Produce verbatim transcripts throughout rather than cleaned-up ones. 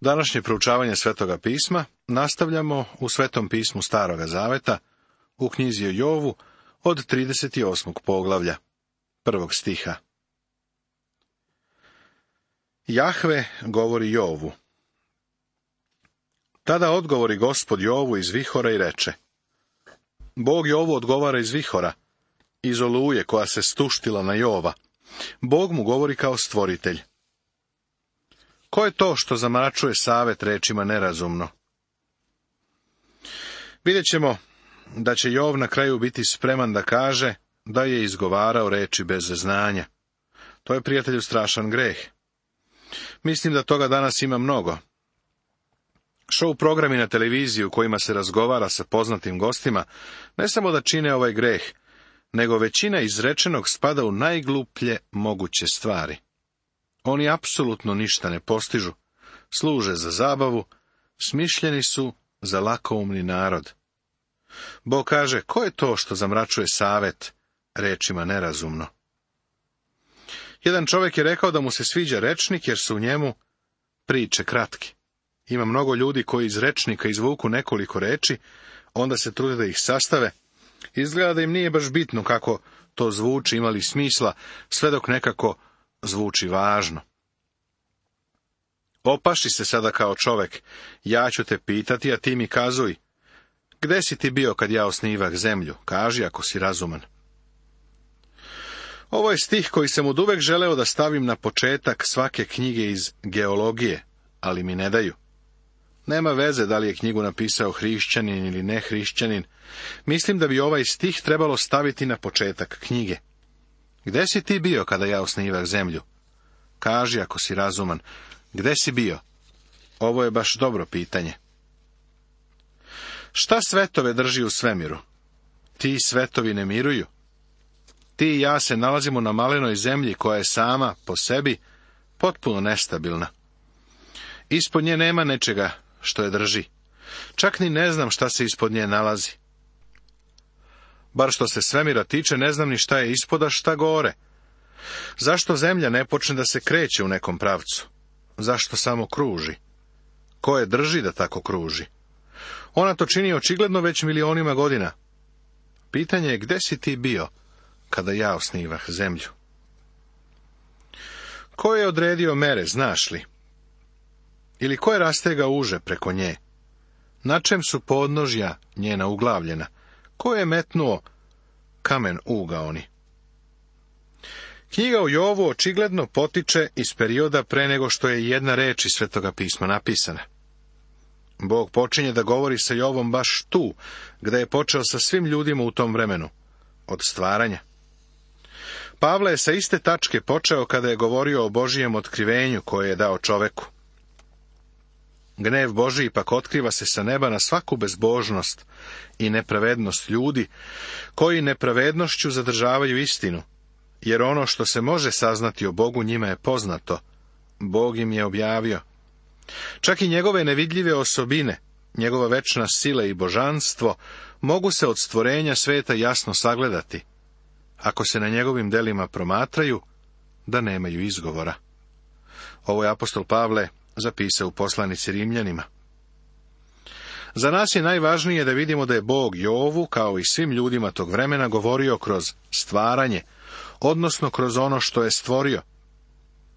Današnje proučavanje Svetoga pisma nastavljamo u Svetom pismu Staroga zaveta, u knjizi o Jovu od trideset osmog poglavlja, prvog stiha. Jahve govori Jovu. Tada odgovori Gospod Jovu iz vihora i reče: Bog Jovu odgovara iz vihora, iz oluje koja se stuštila na Jova. Bog mu govori kao stvoritelj. Ko je to što zamračuje savet rečima nerazumno? Vidjet ćemo da će Jov na kraju biti spreman da kaže da je izgovarao reči bez znanja. To je, prijatelju, strašan greh. Mislim da toga danas ima mnogo. Show programi na televiziji u kojima se razgovara sa poznatim gostima ne samo da čine ovaj greh, nego većina izrečenog spada u najgluplje moguće stvari. Oni apsolutno ništa ne postižu, služe za zabavu, smišljeni su za lakoumni narod. Bog kaže, ko je to što zamračuje savet rečima nerazumno? Jedan čovjek je rekao da mu se sviđa rečnik jer su u njemu priče kratke. Ima mnogo ljudi koji iz rečnika izvuku nekoliko reči, onda se trude da ih sastave. Izgleda da im nije baš bitno kako to zvuči, ima li smisla, sve dok nekako zvuči važno. Opaši se sada kao čovek, ja ću te pitati, a ti mi kazuj. Gde si ti bio kad ja osnivah zemlju? Kaži ako si razuman. Ovo je stih koji sam oduvek želeo da stavim na početak svake knjige iz geologije, ali mi ne daju. Nema veze da li je knjigu napisao hrišćanin ili ne hrišćanin. Mislim da bi ovaj stih trebalo staviti na početak knjige. Gde si ti bio kada ja osnivah zemlju? Kaži ako si razuman. Gde si bio? Ovo je baš dobro pitanje. Šta svetove drži u svemiru? Ti svetovi ne miruju. Ti i ja se nalazimo na malenoj zemlji koja je sama, po sebi, potpuno nestabilna. Ispod nje nema nečega što je drži. Čak ni ne znam šta se ispod nje nalazi. Bar što se svemira tiče, ne znam ni šta je ispod, a šta gore. Zašto zemlja ne počne da se kreće u nekom pravcu? Zašto samo kruži? Ko je drži da tako kruži? Ona to čini očigledno već milionima godina. Pitanje je, gde si ti bio kada ja osnivah zemlju? Ko je odredio mere, znaš li? Ili ko je rastegao uže preko nje? Na čem su podnožja njena uglavljena? Ko je metnuo kamen ugaoni? Knjiga o Jovu očigledno potiče iz perioda pre nego što je jedna reč iz Svetoga pisma napisana. Bog počinje da govori sa Jovom baš tu, gde je počeo sa svim ljudima u tom vremenu, od stvaranja. Pavle je sa iste tačke počeo kada je govorio o Božijem otkrivenju koje je dao čoveku. Gnev Božiji pak otkriva se sa neba na svaku bezbožnost i nepravednost ljudi, koji nepravednošću zadržavaju istinu, jer ono što se može saznati o Bogu njima je poznato, Bog im je objavio. Čak i njegove nevidljive osobine, njegova večna sila i božanstvo, mogu se od stvorenja sveta jasno sagledati, ako se na njegovim delima promatraju, da nemaju izgovora. Ovo je apostol Pavle zapisao u poslanici Rimljanima. Za nas je najvažnije da vidimo da je Bog Jovu, kao i svim ljudima tog vremena, govorio kroz stvaranje, odnosno kroz ono što je stvorio.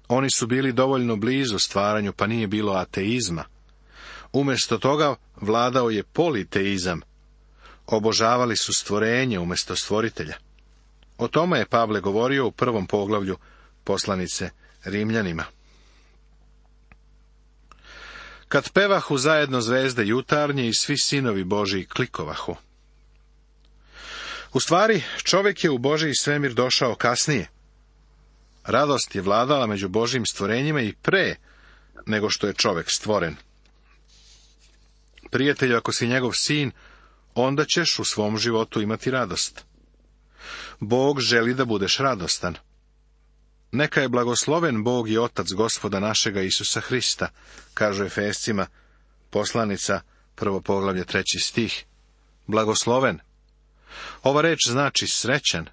Oni su bili dovoljno blizu stvaranju, pa nije bilo ateizma. Umjesto toga vladao je politeizam. Obožavali su stvorenje umjesto stvoritelja. O tome je Pavle govorio u prvom poglavlju poslanice Rimljanima. Kad pevahu zajedno zvezde jutarnje i svi sinovi Božiji klikovahu. U stvari, čovjek je u Božji svemir došao kasnije. Radost je vladala među Božjim stvorenjima i pre nego što je čovjek stvoren. Prijatelju, ako si njegov sin, onda ćeš u svom životu imati radost. Bog želi da budeš radostan. Neka je blagosloven Bog i Otac Gospoda našega Isusa Hrista, kaže Efescima, poslanica, prvo poglavlje, treći stih. Blagosloven. Ova reč znači srećan.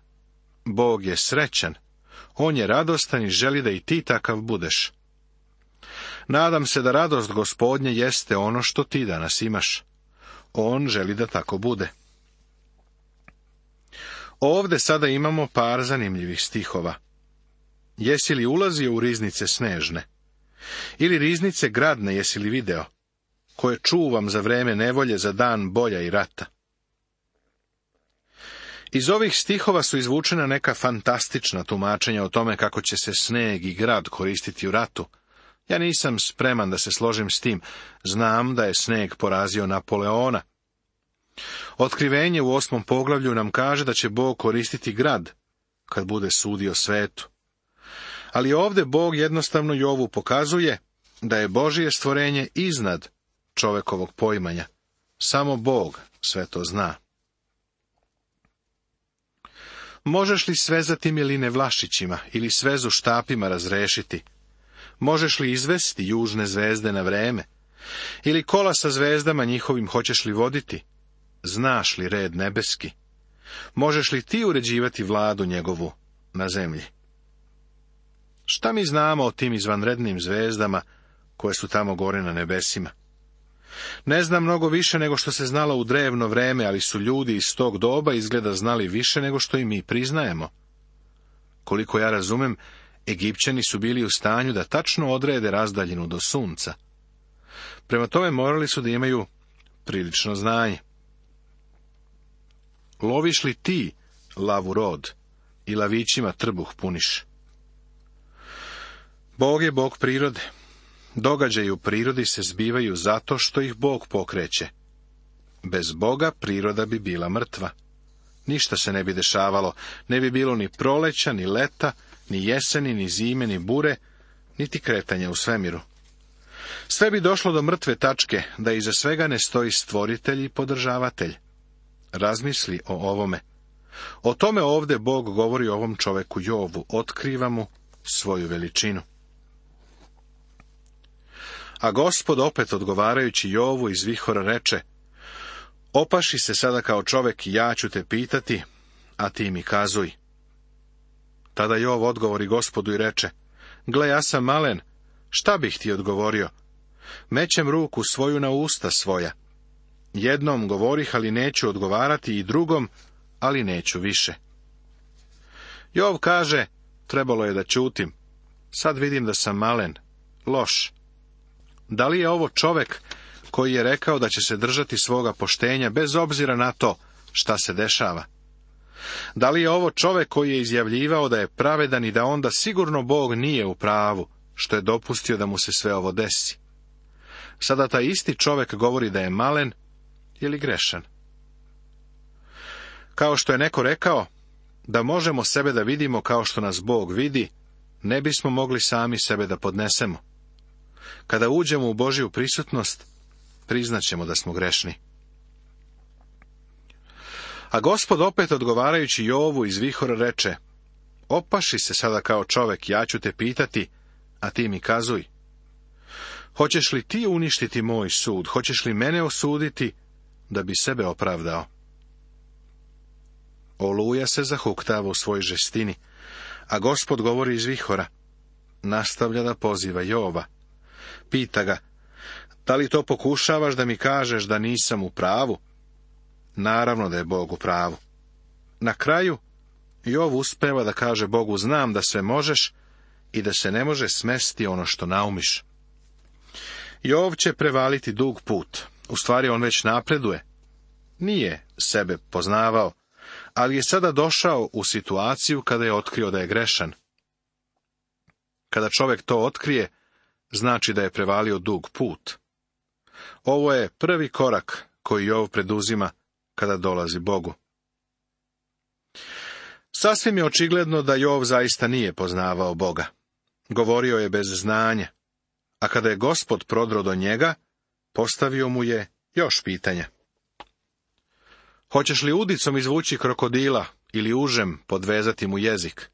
Bog je srećan. On je radostan i želi da i ti takav budeš. Nadam se da radost Gospodnje jeste ono što ti danas imaš. On želi da tako bude. Ovde sada imamo par zanimljivih stihova. Jesi li ulazio u riznice snežne? Ili riznice gradne jesi li video? Koje čuvam za vreme nevolje, za dan bolja i rata. Iz ovih stihova su izvučena neka fantastična tumačenja o tome kako će se sneg i grad koristiti u ratu. Ja nisam spreman da se složim s tim. Znam da je sneg porazio Napoleona. Otkrivenje u osmom poglavlju nam kaže da će Bog koristiti grad kad bude sudio svetu. Ali ovdje Bog jednostavno Jovu pokazuje da je Božje stvorenje iznad čovekovog poimanja. Samo Bog sve to zna. Možeš li svezati miline vlašićima ili svezu štapima razrešiti? Možeš li izvesti južne zvezde na vreme? Ili kola sa zvezdama njihovim hoćeš li voditi? Znaš li red nebeski? Možeš li ti uređivati vladu njegovu na zemlji? Šta mi znamo o tim izvanrednim zvezdama koje su tamo gore na nebesima? Ne znam mnogo više nego što se znalo u drevno vreme, ali su ljudi iz tog doba izgleda znali više nego što i mi priznajemo. Koliko ja razumem, Egipćani su bili u stanju da tačno odrede razdaljinu do sunca. Prema tome morali su da imaju prilično znanje. Loviš li ti lavu rod i lavićima trbuh puniš? Bog je Bog prirode. Događaji u prirodi se zbivaju zato što ih Bog pokreće. Bez Boga priroda bi bila mrtva. Ništa se ne bi dešavalo, ne bi bilo ni proleća, ni leta, ni jeseni, ni zime, ni bure, niti kretanja u svemiru. Sve bi došlo do mrtve tačke, da iza svega ne stoji stvoritelj i podržavatelj. Razmisli o ovome. O tome ovdje Bog govori o ovom čoveku Jovu, otkriva mu svoju veličinu. A Gospod opet odgovarajući Jovu iz vihora reče: Opaši se sada kao čovek i ja ću te pitati, a ti mi kazuj. Tada Jov odgovori Gospodu i reče: Gle, ja sam malen, šta bih ti odgovorio? Mećem ruku svoju na usta svoja. Jednom govorih, ali neću odgovarati, i drugom, ali neću više. Jov kaže: Trebalo je da ćutim. Sad vidim da sam malen, loš. Da li je ovo čovek koji je rekao da će se držati svoga poštenja bez obzira na to šta se dešava? Da li je ovo čovek koji je izjavljivao da je pravedan i da onda sigurno Bog nije u pravu što je dopustio da mu se sve ovo desi? Sada taj isti čovek govori da je malen ili grešan. Kao što je neko rekao, da možemo sebe da vidimo kao što nas Bog vidi, ne bismo mogli sami sebe da podnesemo. Kada uđemo u Božju prisutnost, priznaćemo da smo grešni. A Gospod opet odgovarajući Jovu iz vihora reče: Opaši se sada kao čovek, ja ću te pitati, a ti mi kazuj. Hoćeš li ti uništiti moj sud? Hoćeš li mene osuditi da bi sebe opravdao? Oluja se zahuktava u svoj žestini, a Gospod govori iz vihora. Nastavlja da poziva Jova. Pita ga: Da li to pokušavaš da mi kažeš da nisam u pravu? Naravno da je Bog u pravu. Na kraju Jov uspeva da kaže Bogu: Znam da sve možeš i da se ne može smesti ono što naumiš. Jov će prevaliti dug put. U stvari on već napreduje. Nije sebe poznavao, ali je sada došao u situaciju kada je otkrio da je grešan. Kada čovjek to otkrije, znači da je prevalio dug put. Ovo je prvi korak koji Jov preduzima kada dolazi Bogu. Sasvim je očigledno da Jov zaista nije poznavao Boga. Govorio je bez znanja, a kada je Gospod prodro do njega, postavio mu je još pitanja. Hoćeš li udicom izvući krokodila ili užem podvezati mu jezik?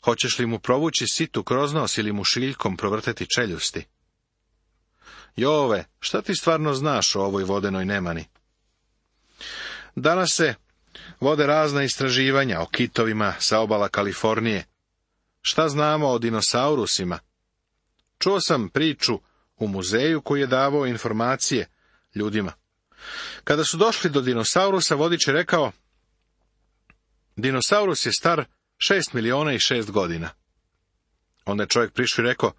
Hoćeš li mu provući situ kroz nos ili mu šiljkom provrteti čeljusti? Jove, šta ti stvarno znaš o ovoj vodenoj nemani? Danas se vode razna istraživanja o kitovima sa obala Kalifornije. Šta znamo o dinosaurusima? Čuo sam priču u muzeju koji je davao informacije ljudima. Kada su došli do dinosaurusa, vodič je rekao: dinosaurus je star šest miliona i šest godina. Onda je čovjek prišao i rekao: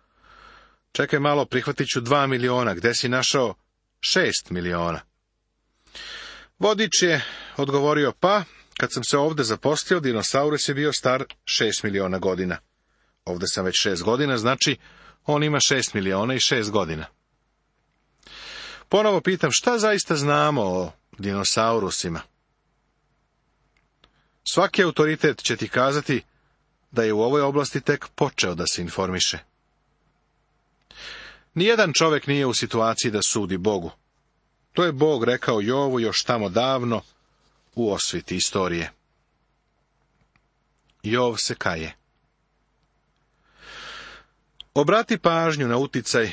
čekaj malo, prihvatit ću dva miliona, gde si našao šest miliona? Vodič je odgovorio: pa, kad sam se ovde zaposlio, dinosaurus je bio star šest miliona godina. Ovde sam već šest godina, znači on ima šest miliona i šest godina. Ponovo pitam, šta zaista znamo o dinosaurusima? Svaki autoritet će ti kazati da je u ovoj oblasti tek počeo da se informiše. Nijedan čovjek nije u situaciji da sudi Bogu. To je Bog rekao Jovu još tamo davno u osviti istorije. Jov se kaje. Obrati pažnju na uticaj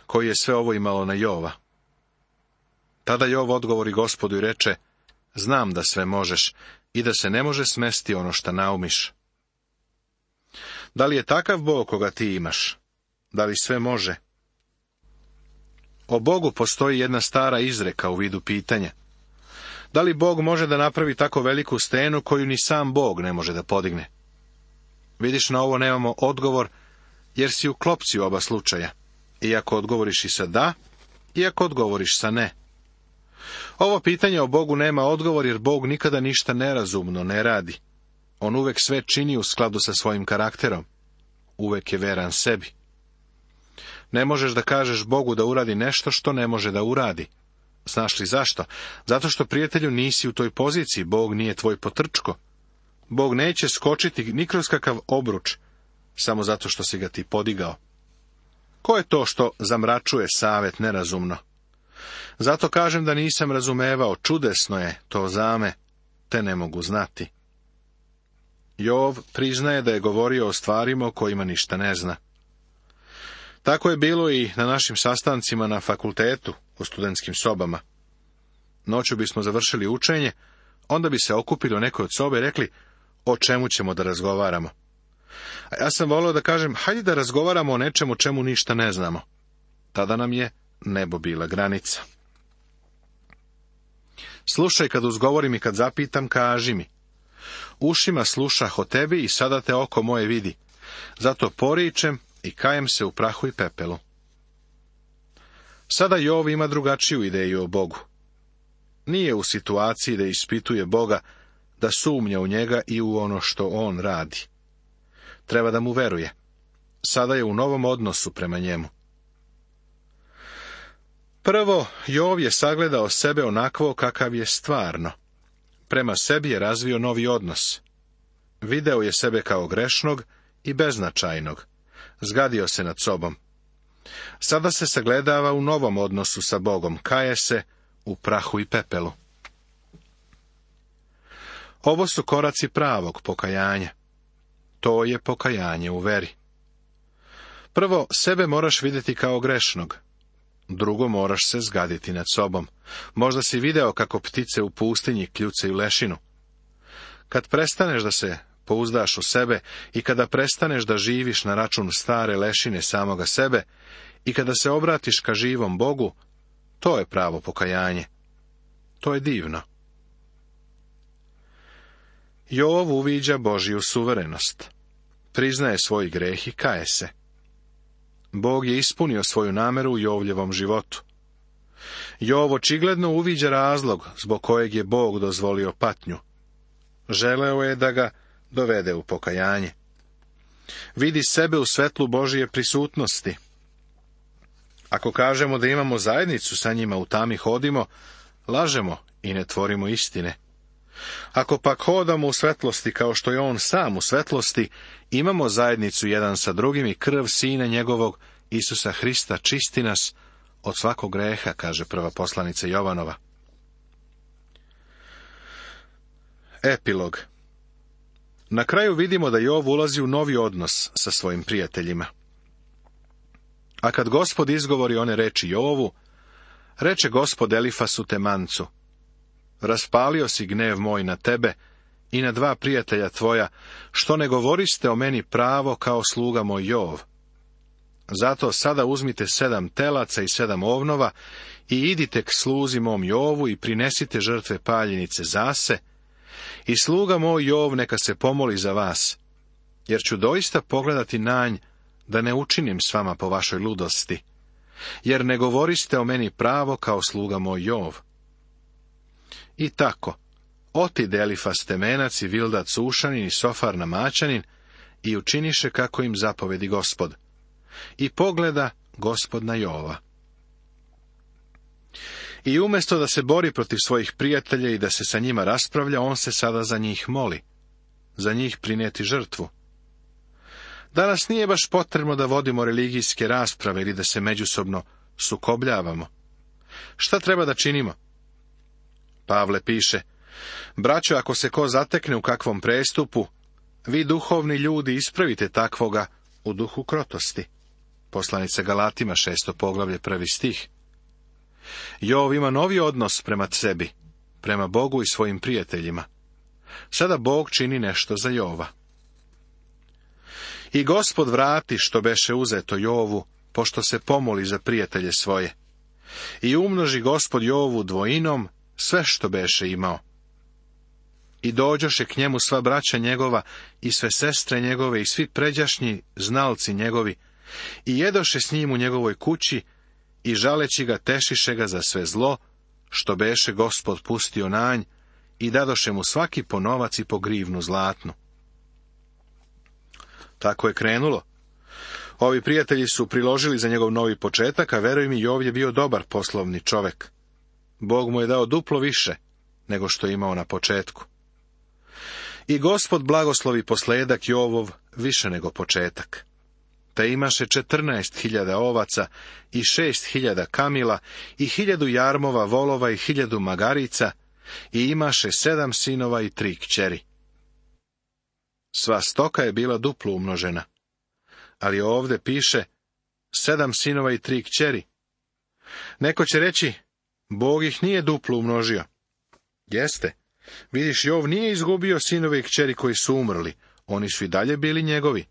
koji je sve ovo imalo na Jova. Tada Jov odgovori Gospodu i reče: znam da sve možeš i da se ne može smesti ono što naumiš. Da li je takav Bog koga ti imaš? Da li sve može? O Bogu postoji jedna stara izreka u vidu pitanja. Da li Bog može da napravi tako veliku stenu koju ni sam Bog ne može da podigne? Vidiš, na ovo nemamo odgovor, jer si u klopci u oba slučaja. Iako odgovoriš i sa da, iako odgovoriš sa ne. Ovo pitanje o Bogu nema odgovor, jer Bog nikada ništa nerazumno ne radi. On uvek sve čini u skladu sa svojim karakterom. Uvek je veran sebi. Ne možeš da kažeš Bogu da uradi nešto što ne može da uradi. Znaš li zašto? Zato što, prijatelju, nisi u toj poziciji, Bog nije tvoj potrčko. Bog neće skočiti ni kroz kakav obruč, samo zato što si ga ti podigao. Ko je to što zamračuje savet nerazumno? Zato kažem da nisam razumevao, čudesno je to zame, te ne mogu znati. Jov priznaje da je govorio o stvarima o kojima ništa ne zna. Tako je bilo i na našim sastancima na fakultetu, u studentskim sobama. Noću bismo završili učenje, onda bi se okupili u nekoj od sobe i rekli: o čemu ćemo da razgovaramo? A ja sam volio da kažem: hajde da razgovaramo o nečemu čemu ništa ne znamo. Tada nam je nebo bila granica. Slušaj kad uzgovorim i kad zapitam, kaži mi. Ušima slušah o tebi i sada te oko moje vidi. Zato poričem i kajem se u prahu i pepelu. Sada Jov ima drugačiju ideju o Bogu. Nije u situaciji da ispituje Boga, da sumnja u njega i u ono što on radi. Treba da mu veruje. Sada je u novom odnosu prema njemu. Prvo, Jov je sagledao sebe onakvo kakav je stvarno. Prema sebi je razvio novi odnos. Video je sebe kao grešnog i beznačajnog. Zgadio se nad sobom. Sada se sagledava u novom odnosu sa Bogom, kaje se u prahu i pepelu. Ovo su koraci pravog pokajanja. To je pokajanje u veri. Prvo, sebe moraš vidjeti kao grešnog. Drugo, moraš se zgaditi nad sobom. Možda si video kako ptice u pustinji kljucaju lešinu. Kad prestaneš da se pouzdaš u sebe i kada prestaneš da živiš na račun stare lešine samoga sebe i kada se obratiš ka živom Bogu, to je pravo pokajanje. To je divno. Jov uviđa Božju suverenost. Priznaje svoj greh i kaje se. Bog je ispunio svoju nameru u Jovljevom životu. Jov očigledno uviđa razlog zbog kojeg je Bog dozvolio patnju. Želeo je da ga dovede u pokajanje. Vidi sebe u svetlu Božje prisutnosti. Ako kažemo da imamo zajednicu sa njima, u tami hodimo, lažemo i ne tvorimo istine. Ako pak hodamo u svetlosti kao što je on sam u svetlosti, imamo zajednicu jedan sa drugim i krv Sina njegovog, Isusa Hrista, čisti nas od svakog greha, kaže prva poslanica Jovanova. Epilog. Na kraju vidimo da Jov ulazi u novi odnos sa svojim prijateljima. A kad Gospod izgovori one reči Jovu, reče Gospod Elifasu Temancu: raspalio si gnev moj na tebe i na dva prijatelja tvoja, što ne govoriste o meni pravo kao sluga moj Jov. Zato sada uzmite sedam telaca i sedam ovnova i idite k sluzi mom Jovu i prinesite žrtve paljenice zase, i sluga moj Jov neka se pomoli za vas, jer ću doista pogledati na nj da ne učinim s vama po vašoj ludosti, jer ne govoriste o meni pravo kao sluga moj Jov. I tako, otide Elifas Temenac i Bildad Sušanin i Sofar Namaćanin i učiniše kako im zapovedi Gospod. I pogleda Gospod na Jova. I umjesto da se bori protiv svojih prijatelja i da se sa njima raspravlja, on se sada za njih moli, za njih prinijeti žrtvu. Danas nije baš potrebno da vodimo religijske rasprave ili da se međusobno sukobljavamo. Šta treba da činimo? Pavle piše: braćo, ako se ko zatekne u kakvom prestupu, vi duhovni ljudi ispravite takvoga u duhu krotosti. Poslanica Galatima, šesto poglavlje, prvi stih. Jov ima novi odnos prema sebi, prema Bogu i svojim prijateljima. Sada Bog čini nešto za Jova. I Gospod vrati što beše uzeto Jovu, pošto se pomoli za prijatelje svoje. I umnoži Gospod Jovu dvojinom sve što beše imao. I dođoše k njemu sva braća njegova i sve sestre njegove i svi pređašnji znalci njegovi, i jedoše s njim u njegovoj kući, i žaleći ga tešiše ga za sve zlo, što beše Gospod pustio na nj, i dadoše mu svaki po novac i po grivnu zlatnu. Tako je krenulo. Ovi prijatelji su priložili za njegov novi početak, a veruj mi, Jov je bio dobar poslovni čovek. Bog mu je dao duplo više nego što je imao na početku. I Gospod blagoslovi posledak Jovov više nego početak. Te imaše četrnaest hiljada ovaca i šest hiljada kamila i hiljadu jarmova volova i hiljadu magarica i imaše sedam sinova i tri kćeri. Sva stoka je bila duplo umnožena, ali ovde piše sedam sinova i tri kćeri. Neko će reći, Bog ih nije duplo umnožio. Jeste, vidiš, Jov nije izgubio sinove i kćeri koji su umrli, oni su i dalje bili njegovi.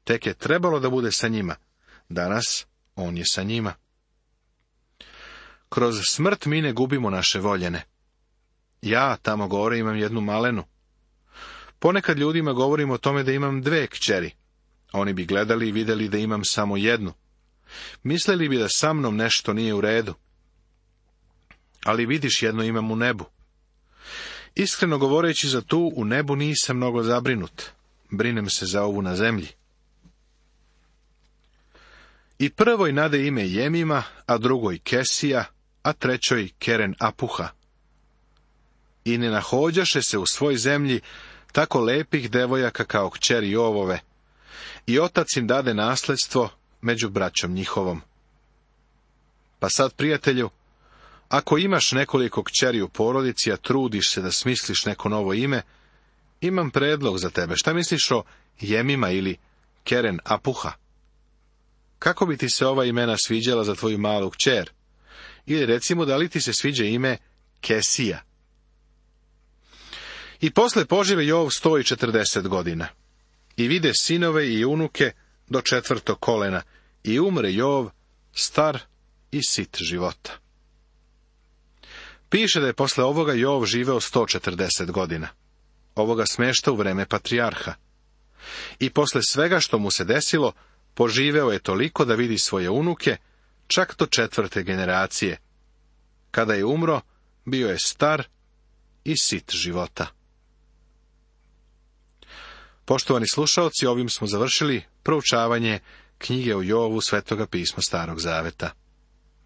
Tek je trebalo da bude sa njima. Danas on je sa njima. Kroz smrt mi ne gubimo naše voljene. Ja tamo gore imam jednu malenu. Ponekad ljudima govorim o tome da imam dve kćeri. Oni bi gledali i vidjeli da imam samo jednu. Mislili bi da sa mnom nešto nije u redu. Ali vidiš, jedno imam u nebu. Iskreno govoreći, za tu u nebu nisam mnogo zabrinut. Brinem se za ovu na zemlji. I prvoj nade ime Jemima, a drugoj Kesija, a trećoj Keren Apuha. I ne nahođaše se u svoj zemlji tako lepih devojaka kao kćeri Jovove, i otac im dade nasledstvo među braćom njihovom. Pa sad, prijatelju, ako imaš nekoliko kćeri u porodici, a trudiš se da smisliš neko novo ime, imam predlog za tebe. Šta misliš o Jemima ili Keren Apuha? Kako bi ti se ova imena sviđala za tvoju malu kćer? Ili recimo, da li ti se sviđa ime Kesija? I posle požive Jov sto i četrdeset godina. I vide sinove i unuke do četvrtog kolena. I umre Jov, star i sit života. Piše da je posle ovoga Jov živeo sto četrdeset godina. Ovoga smešta u vreme patrijarha. I posle svega što mu se desilo, poživeo je toliko da vidi svoje unuke, čak do četvrte generacije. Kada je umro, bio je star i sit života. Poštovani slušaoci, ovim smo završili proučavanje knjige o Jovu Svetoga pisma Starog Zaveta.